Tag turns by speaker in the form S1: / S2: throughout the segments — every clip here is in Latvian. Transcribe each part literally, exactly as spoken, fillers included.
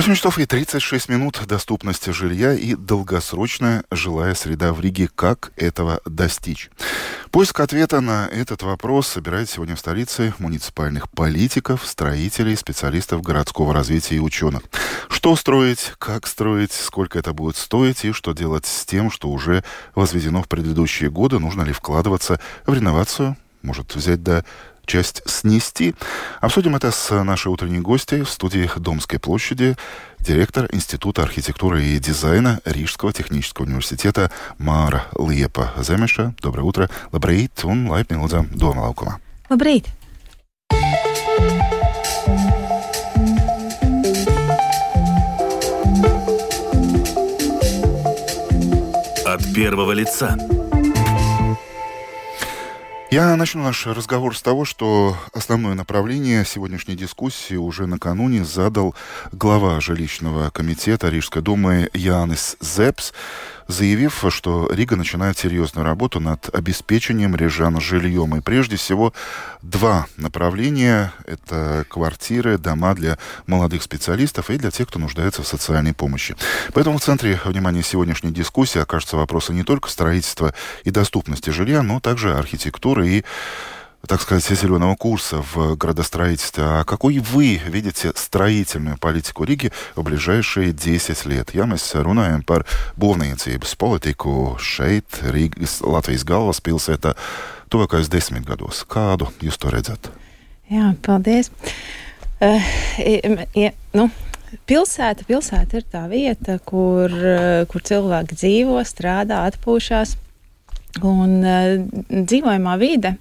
S1: восемь часов и тридцать шесть минут. Доступность жилья и долгосрочная жилая среда в Риге. Как этого достичь? Поиск ответа на этот вопрос собирает сегодня в столице муниципальных политиков, строителей, специалистов городского развития и ученых. Что строить, как строить, сколько это будет стоить и что делать с тем, что уже возведено в предыдущие годы. Нужно ли вкладываться в реновацию? Может взять до... часть снести. Обсудим это с нашей утренней гостьей в студии Домской площади, директор Института архитектуры и дизайна Рижского технического университета Māra Liepa Zemeša. Доброе утро. Labrīt un laipni lūdzam Doma laukumā.
S2: Labrīt.
S3: От первого лица.
S1: Я начну наш разговор с того, что основное направление сегодняшней дискуссии уже накануне задал глава жилищного комитета Рижской думы Jānis Zepes, заявив, что Рига начинает серьезную работу над обеспечением рижан жильем. И прежде всего два направления – это квартиры, дома для молодых специалистов и для тех, кто нуждается в социальной помощи. Поэтому в центре внимания сегодняшней дискуссии окажутся вопросы не только строительства и доступности жилья, но также архитектуры и, так сказать, зеленого курса в градостроительстве. А какой вы видите строительную политику Риги в ближайшие десять лет? Ja mēs runājam par būvniecības politiku šeit, Rīgas, Latvijas galvaspilsētā, tuvākais desmit gados. Kādu jūs to redzat?
S2: Jā, paldies. Uh, ja, nu, pilsēta, pilsēta ir tā vieta, kur, uh, kur cilvēki dzīvo, strādā, atpūšās. Un uh, dzīvojamā vide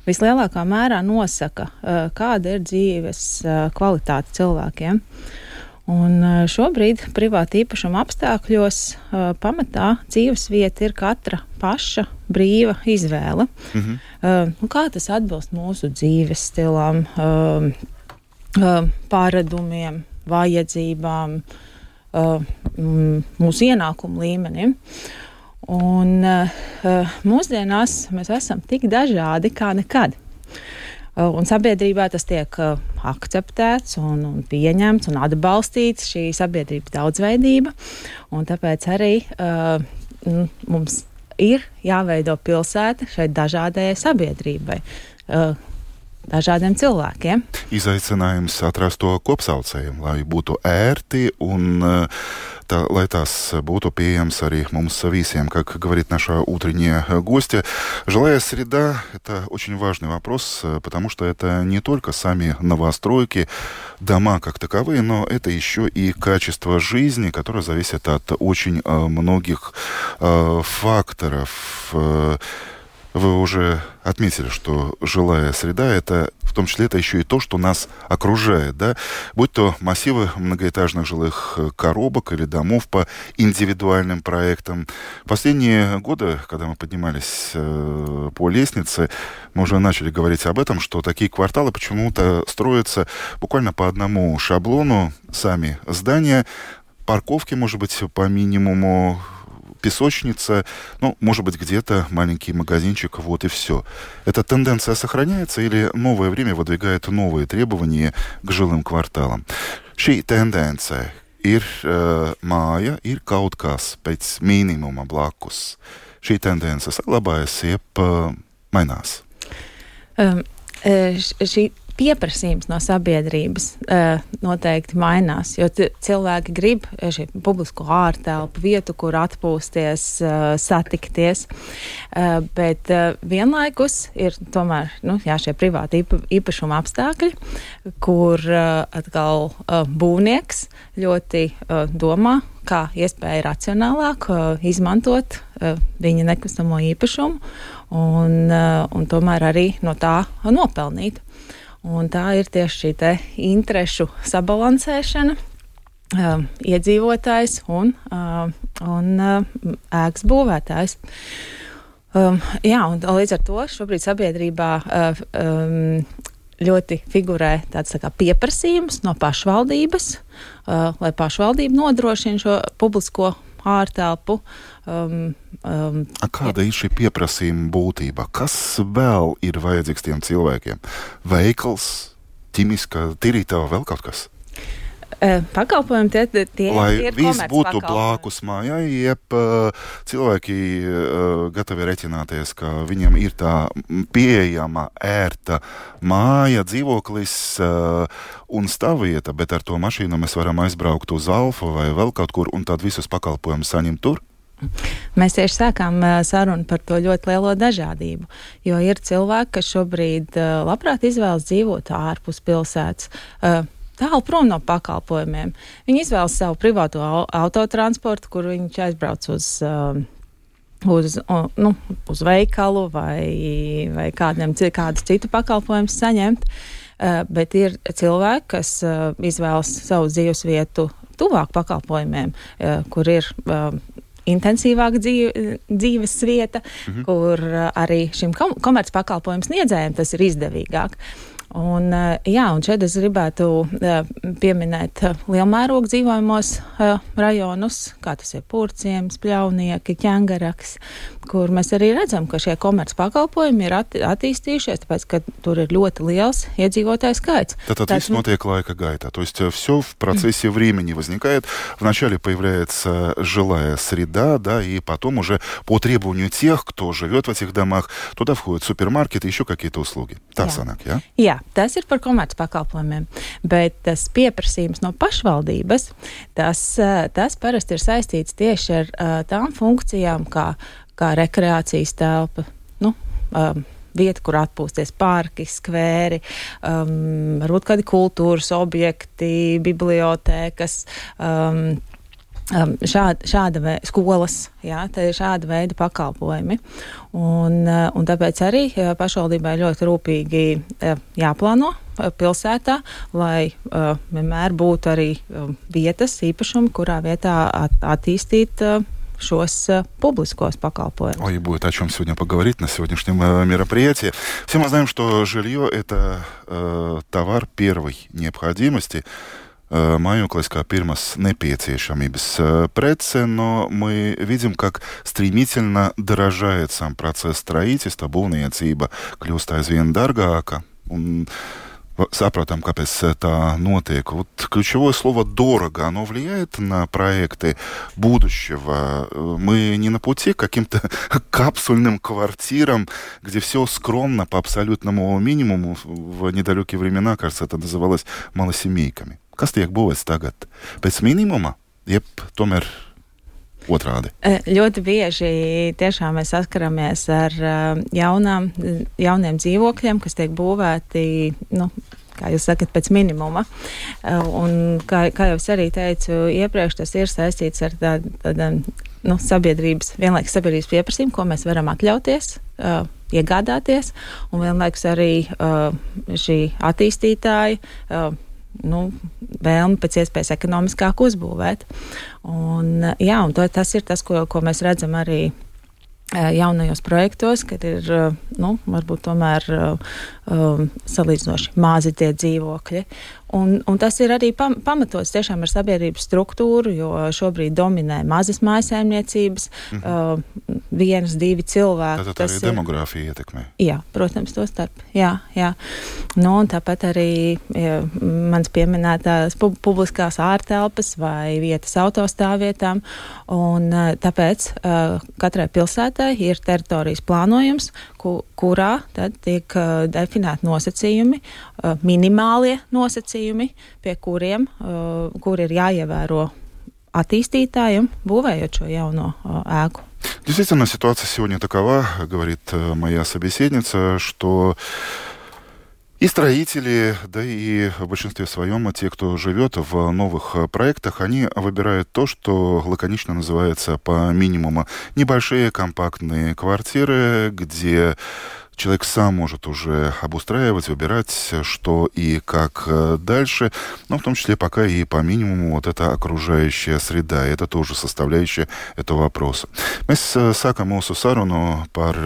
S2: vislielākā mērā nosaka, uh, kāda ir dzīves uh, kvalitāte cilvēkiem. Un uh, šobrīd privāta īpašuma apstākļos uh, pamatā dzīves vieta ir katra paša brīva izvēle. Mm-hmm. Uh, nu, kā tas atbilst mūsu dzīves stilam, uh, uh, pāredumiem, vajadzībām, uh, mūsu ienākumu līmenim. Un uh, mūsdienās mēs esam tik dažādi kā nekad. Uh, un sabiedrībā tas tiek uh, akceptēts un, un pieņemts un atbalstīts, šī sabiedrības daudzveidība. Un tāpēc arī uh, mums ir jāveido pilsēta šai dažādajai sabiedrībai, uh, dažādiem cilvēkiem.
S1: Izaicinājums atrast to kopsaucēju, lai būtu ērti un tā, lai tās būtu pieejams arī mums visiem, как говорит наша утренняя гостья. Жилая среда – это очень важный вопрос, потому что это не только сами новостройки, дома как таковые, но это еще и качество жизни, которое зависит от очень многих факторов. Вы уже отметили, что жилая среда – это в том числе это еще и то, что нас окружает, да? Будь то массивы многоэтажных жилых коробок или домов по индивидуальным проектам. Последние годы, когда мы поднимались э, по лестнице, мы уже начали говорить об этом, что такие кварталы почему-то строятся буквально по одному шаблону, сами здания, парковки, может быть, по минимуму, песочница, ну, может быть, где-то маленький магазинчик, вот и все. Эта тенденция сохраняется или новое время выдвигает новые требования к жилым кварталам? Šī tendence ir uh, māja, ir kaut kas pēc minimuma blakus. Šī tendence saglabājas, jeb uh, mainās?
S2: Um, šī pieprasījums no sabiedrības uh, noteikti mainās, jo t- cilvēki grib šī publisko ārtelpu, vietu, kur atpūsties, uh, satikties, uh, bet uh, vienlaikus ir tomēr, nu, jā, šie privāti īpa, īpašuma apstākļi, kur uh, atkal uh, būvnieks ļoti uh, domā, kā iespēja racionālāk uh, izmantot uh, viņa nekustamo īpašumu un, uh, un tomēr arī no tā nopelnīt. Un tā ir tieši šī te interešu sabalansēšana, uh, iedzīvotājs un, uh, un uh, ēkas būvētājs. Um, jā, un līdz ar to šobrīd sabiedrībā uh, um, ļoti figurē tāds tā kā pieprasījums no pašvaldības, uh, lai pašvaldība nodrošina šo publisko ārtelpu. Um, um,
S1: A kāda ir šī pieprasījuma būtība? Kas vēl ir vajadzīgs tiem cilvēkiem? Veikals, ķimiskā tīrītava, vēl kaut kas?
S2: Pakalpojumi tie, tie, tie ir
S1: viss būtu
S2: komercpakalpojumi.
S1: blakus mājai, jeb cilvēki gatavi reķināties, ka viņiem ir tā pieejama, ērta māja, dzīvoklis un stāvvieta, bet ar to mašīnu mēs varam aizbraukt uz Alfu vai vēl kaut kur un tad visus pakalpojumus saņemt tur.
S2: Mēs tieši sākām sarunu par to ļoti lielo dažādību, jo ir cilvēki, kas šobrīd labprāt izvēlas dzīvot ārpus pilsētas, tālu prom no pakalpojumiem. Viņi izvēlas savu privāto autotransportu, kur viņš aizbrauc uz, uz, nu, uz veikalu vai, vai kādiem, kādu citu pakalpojumu saņemt, bet ir cilvēki, kas izvēlas savu dzīves vietu tuvāk pakalpojumiem, kur ir intensīvāka dzīve, dzīves vieta, mhm. kur arī šim komercpakalpojumu sniedzējiem tas ir izdevīgāk. Un, jā, un šeit es gribētu pieminēt lielmērogu dzīvojamos rajonus, kā tas ir Purciems, Pļaunieki, Ķengaraks, kur mēs arī redzam, ka šie komerc pakalpojumi ir atti- attīstījušies, tāpēc, ka tur ir ļoti liels иедzīvotāju skaits.
S1: Tātad viss notiek laika gaitā. То есть все в процессе времени возникает. Вначале появляется жилая среда, да, и потом уже по требованию тех, кто живет в этих домах, туда входят супермаркеты, еще какие-то услуги. Tā sanāk, jā?
S2: Jā, tas ir par komerc pakalpojumiem, bet tas pieprasījums no pašvaldības, tas, tas parasti ir saistīts tieši ar uh, tām funkcijām, kā, kā rekreācijas telpa, nu, um, vieta, kur atpūsties, parki, skvēri, um, varbūt kādi kultūras objekti, bibliotēkas, um, Um, šāda, šāda veida skolas, jā, tā ir šāda veida pakalpojumi. Un, uh, un tāpēc arī uh, pašvaldībai ļoti rūpīgi uh, jāplāno uh, pilsētā, lai uh, vienmēr būtu arī uh, vietas, īpašumi, kurā vietā at, attīstīt uh, šos uh, публискos pakalpojumus.
S1: Ой, будет о чем сегодня поговорить на сегодняшнем э, мероприятии. Все мы знаем, что жилье – это э, товар первой необходимости. Mājoklis kā pirmas nepieciešamības прece, но мы видим, как стремительно дорожает сам процесс строительства, būvniecība kļūst aizvien dārgāka. Un saprotam, kāpēc tā notiek. Вот ключевое слово «дорого», оно влияет на проекты будущего. Мы не на пути к каким-то капсульным квартирам, где все скромно по абсолютному минимуму. В недалекие времена, кажется, это называлось малосемейками. Kas tiek būvēts tagad? Pēc minimuma, jeb tomēr otrādi?
S2: Ļoti bieži tiešām mēs saskaramies ar jaunām, jauniem dzīvokļiem, kas tiek būvēti, nu, kā jūs sakat, pēc minimuma. Un kā, kā jau es arī teicu iepriekš, tas ir saistīts ar tādu, tādu nu, sabiedrības, vienlaikus sabiedrības pieprasījumu, ko mēs varam atļauties, uh, iegādāties, un vienlaikus arī uh, šī attīstītāja uh, nu, vēlmi pēc iespējas ekonomiskāk uzbūvēt. Un, jā, un to, tas ir tas, ko, ko mēs redzam arī jaunajos projektos, kad ir, nu, varbūt tomēr um, salīdzinoši mazi tie dzīvokļi. Un, un tas ir arī pam, pamatots tiešām ar sabiedrības struktūru, jo šobrīd dominē mazas mājsaimniecības, mhm. uh, vienas, divi cilvēki.
S1: Tātad arī demogrāfija ietekmē.
S2: Jā, protams, to starp. Jā, jā. Nu, un tāpat arī ja, mans pieminētās pu, publiskās ārtelpas vai vietas autostāvvietām. Un uh, tāpēc uh, katrai pilsētai ir teritorijas plānojums, ku, kurā tad tiek uh, definēti nosacījumi, uh, minimālie nosacījumi, pie kuriem, uh, kur ir jāievēro attīstītājiem, būvējot šo jauno uh, ēku.
S1: Действительно, ситуация сегодня такова, говорит моя собеседница, что и строители, да и в большинстве своем те, кто живет в новых проектах, они выбирают то, что лаконично называется по минимуму небольшие компактные квартиры, где человек сам может уже обустраивать, выбирать, что и как дальше, но в том числе пока и по минимуму вот эта окружающая среда. Это тоже составляющая этого вопроса. Mēs sākam mūsu sarunu par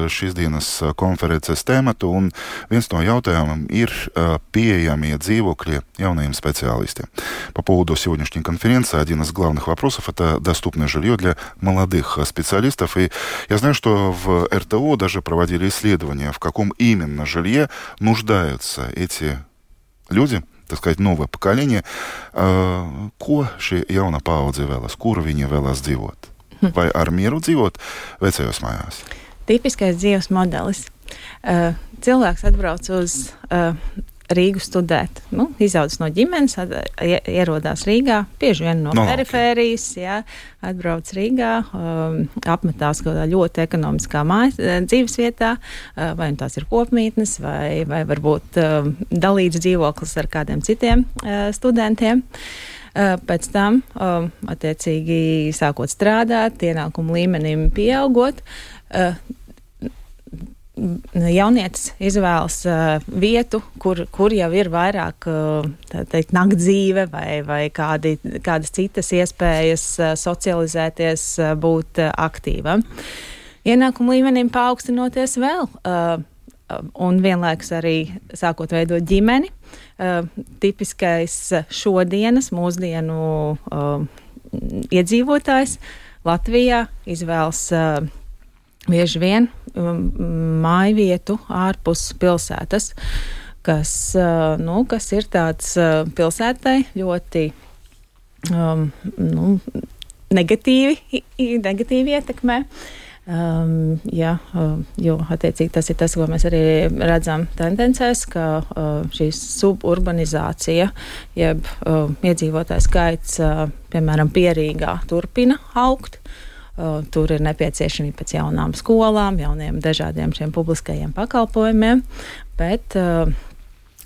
S1: šīs dienas konferences tēmatu, un viens no jautājumiem ir pieejamie dzīvokļi jaunajiem специалистам. По поводу сегодняшней конференции один из главных вопросов – это доступное жилье для молодых специалистов. И я знаю, что в эр тэ о даже проводили исследования, в каком именно жилье нуждаются эти люди, tā skaitā novā поколение, uh, ko šī jauna paudze vēlas, kur viņi vēlas dzīvot? Vai ar mieru dzīvot vecajos mājās?
S2: Tipiskais dzīves modelis. Uh, cilvēks atbrauc uz uh, Rīgu studēt. Nu, izaudzis no ģimenes, at, ierodās Rīgā, bieži vien no, no perifērijas, okay. jā, atbrauc Rīgā, um, apmetās kādā ļoti ekonomiskā mājas, dzīves vietā, uh, vai tās ir kopmītnes, vai, vai varbūt um, dalīts dzīvoklis ar kādiem citiem uh, studentiem. Uh, pēc tam, um, attiecīgi, sākot strādāt, ienākumu līmenim pieaugot, uh, jaunietis izvēlas uh, vietu, kur, kur jau ir vairāk uh, teikt, naktdzīve vai, vai kādi, kādas citas iespējas uh, socializēties, uh, būt uh, aktīvam. Ienākumu līmenim paaugstinoties vēl, uh, un vienlaikus arī sākot veidot ģimeni. Uh, tipiskais šodienas, mūsdienu uh, iedzīvotājs Latvijā izvēlas uh, bieži vien um, māju vietu ārpus pilsētas, kas, uh, nu, kas ir tāds uh, pilsētai ļoti um, nu, negatīvi, negatīvi ietekmē. Um, jā, uh, jo attiecīgi tas ir tas, ko mēs arī redzam tendencēs, ka uh, šī suburbanizācija, jeb uh, iedzīvotāju skaits, uh, piemēram, Pierīgā turpina augt. Uh, tur ir nepieciešamība pēc jaunām skolām, jauniem dažādiem šiem publiskajiem pakalpojumiem, bet uh,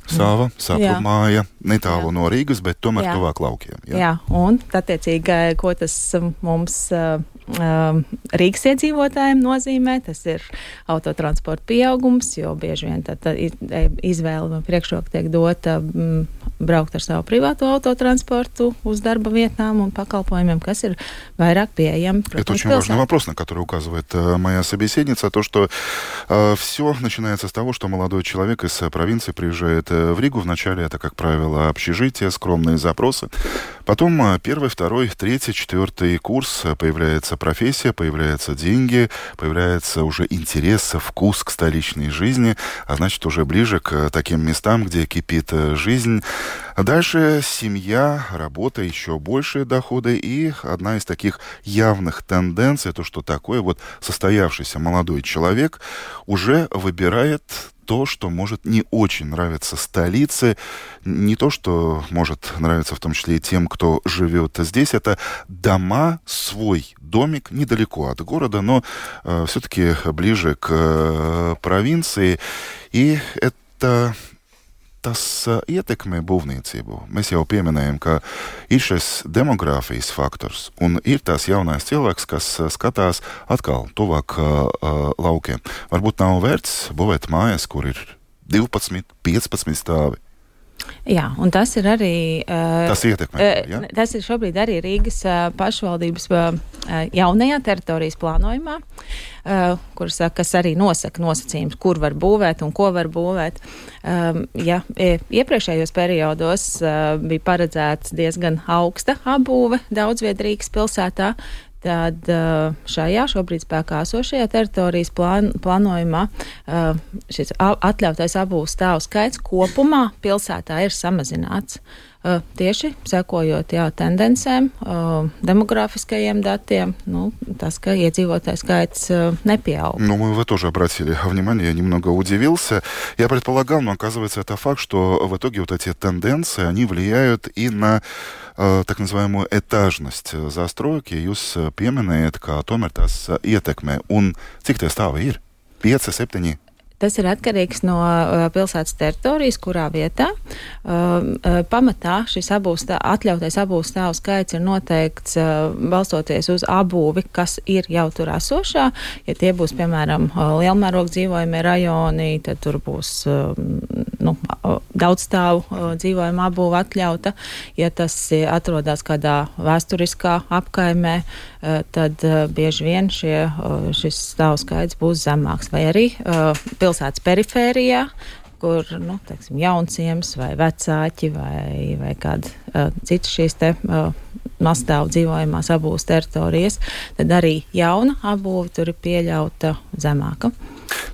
S1: Sava, sava māja, netālu jā. No Rīgas, bet tomēr jā. Tuvāk laukiem. Jā,
S2: jā un attiecīgi, ko tas mums uh, uh, Rīgas iedzīvotājiem nozīmē, tas ir autotransporta pieaugums, jo bieži vien tad izvēle priekšroka tiek dota mm, braukt ar savu privātu autotранспорту uz darба vietām un pakalпоймем, kas ir vairāk пieejami.
S1: Это очень важный вопрос, на который указывает э, моя собеседница, то, что э, все начинается с того, что молодой человек из провинции приезжает э, в Ригу. Вначале это, как правило, общежитие, скромные запросы. Потом э, первый, второй, третий, четвертый курс, э, появляется профессия, появляются деньги, появляется уже интерес, вкус к столичной жизни, а значит, уже ближе к таким местам, где кипит э, жизнь. Дальше семья, работа, еще большие доходы. И одна из таких явных тенденций, то, что такой вот состоявшийся молодой человек уже выбирает то, что может не очень нравиться столице, не то, что может нравиться в том числе и тем, кто живет здесь. Это дома, свой домик недалеко от города, но э, все-таки ближе к э, провинции. И это... Tas ietekmē būvniecību. Mēs jau pieminējam, ka ir šis demogrāfijas faktors un ir tās jaunais cilvēks, kas skatās atkal tuvāk uh, laukiem. Varbūt nav vērts būvēt mājas, kur ir divpadsmit, piecpadsmit stāvi.
S2: Jā, un tas ir arī... Uh,
S1: tas ietekmē,
S2: uh, ja? Tas ir šobrīd arī Rīgas uh, pašvaldības uh, jaunajā teritorijas plānojumā, uh, kur saka, kas arī nosaka nosacījums, kur var būvēt un ko var būvēt. Um, ja, iepriekšējos periodos uh, bija paredzēts diezgan augsta apbūve daudzviet Rīgas pilsētā, tad šajā šobrīd spēkā esošajā teritorijas plān, plānojumā šis atļautais apbūves stāvu skaits kopumā pilsētā ir samazināts. Tieši sekojot jā, tendencēm, демографическим datiem, ну, tas, ka iedzīvotāju skaits nepieaug.
S1: Ну, мы вы тоже обратили внимание, я немного удивился. Я предполагал, но оказывается это факт, что в итоге вот эти тенденции, они влияют и на э, так называемую этажность застройки. Jūs pieminējat, ka tomēr tas ietekmē. Un cik tie stāvi ir? Pieci, septiņi?
S2: Tas ir atkarīgs no uh, pilsētas teritorijas, kurā vietā. Uh, uh, pamatā šis abūs, atļautais abūves stāvu skaits ir noteikts uh, balstoties uz abūvi, kas ir jau tur esošā. Ja tie būs, piemēram, uh, lielmēroga dzīvojamie rajoni, tad tur būs uh, nu, daudzstāvu uh, dzīvojama abūve atļauta. Ja tas atrodas kādā vēsturiskā apkaimē, uh, tad uh, bieži vien šie, uh, šis stāvu skaits būs zemāks. Vai arī uh, pilsētas perifērijā, kur, nu, teiksim, jaunciems vai vecāķi vai, vai kāda uh, citas šīs te uh, mazstāvu dzīvojamās abūves teritorijas, tad arī jauna abūve tur ir pieļauta zemāka.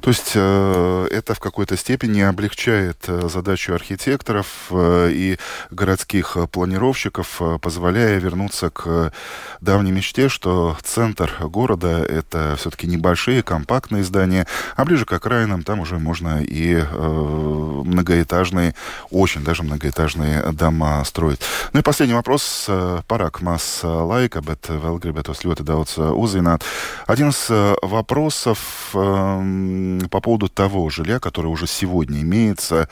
S1: То есть э, это в какой-то степени облегчает э, задачу архитекторов э, и городских планировщиков, э, позволяя вернуться к давней мечте, что центр города — это все-таки небольшие, компактные здания, а ближе к окраинам там уже можно и э, многоэтажные, очень даже многоэтажные дома строить. Ну и последний вопрос. Парак маз лайка, bet vēl gribētos ļoti daudz uzzināt. Один из вопросов э, по поводу того жилья, которое уже сегодня имеется,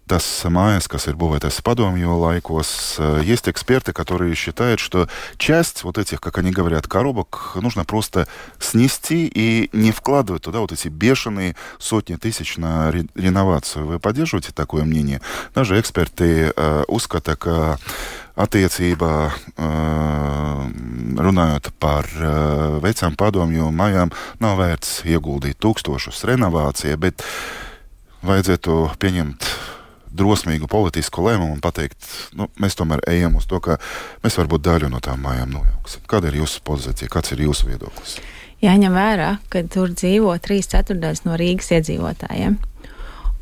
S1: tas mājas, kas ir būvētas padomju laikos, есть эксперты, которые считают, что часть вот этих, как они говорят, коробок нужно просто снести и не вкладывать туда вот эти бешеные сотни тысяч на ре- реновацию. Вы поддерживаете такое мнение? Даже эксперты э, uzskata, ka attiecībā uh, runājot par uh, vecām padomju mājām, nav vērts ieguldīt tūkstošus renovācijā, bet vajadzētu pieņemt drosmīgu politisku lēmumu un pateikt, nu, mēs tomēr ejam uz to, ka mēs varbūt daļu no tām mājām nojauksim. Kāda ir jūsu pozīcija, kāds ir jūsu viedoklis?
S2: Jāņem vērā, ka tur dzīvo trīs ceturtdaļas no Rīgas iedzīvotājiem.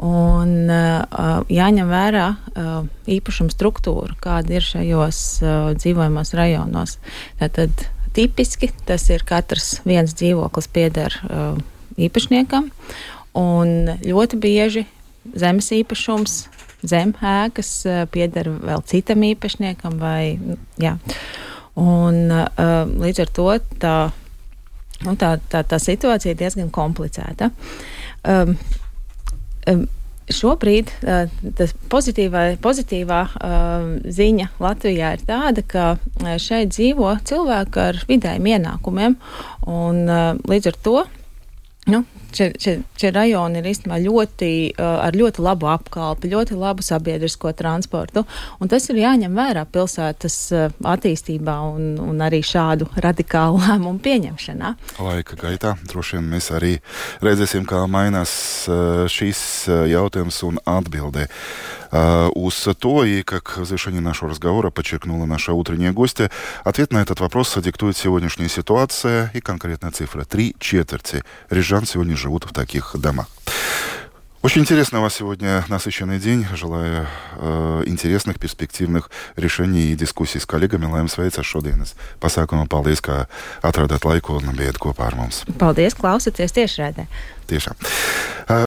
S2: Un uh, jāņem vērā uh, īpašuma struktūra, kāda ir šajos uh, dzīvojamos rajonos. Tātad tipiski tas ir katrs viens dzīvoklis pieder uh, īpašniekam, un ļoti bieži zemes īpašums, zem ēkas uh, pieder vēl citam īpašniekam. Vai, jā. Un uh, līdz ar to tā, nu, tā, tā, tā situācija ir diezgan komplicēta. Um, Šobrīd uh, tas pozitīvā, pozitīvā uh, ziņa Latvijā ir tāda, ka uh, šeit dzīvo cilvēki ar vidējiem ienākumiem, un uh, līdz ar to nu, šie, šie, šie rajoni ir īstenībā ļoti, uh, ar ļoti labu apkalpi, ļoti labu sabiedrisko transportu, un tas ir jāņem vērā pilsētas uh, attīstībā un, un arī šādu radikālu lēmumu pieņemšanā.
S1: Laika gaitā droši vien mēs arī redzēsim, kā mainās uh, šīs uh, jautājums un atbildē. Uh, uz то, и как в завершении нашего разговора подчеркнула наша утренняя гостья, ответ на этот вопрос диктует сегодняшняя ситуация и конкретная цифра. Три четверти рижан сегодня живут в таких домах. Очень интересный у вас сегодня насыщенный день. Желаю э, интересных, перспективных решений и дискуссий с коллегами. Lai jums veicas šodienas pasākumā. Paldies, ka atradāt laiku un bijat kopā ar mums.
S2: Paldies, klausoties tiešraidē.
S1: Tiešām.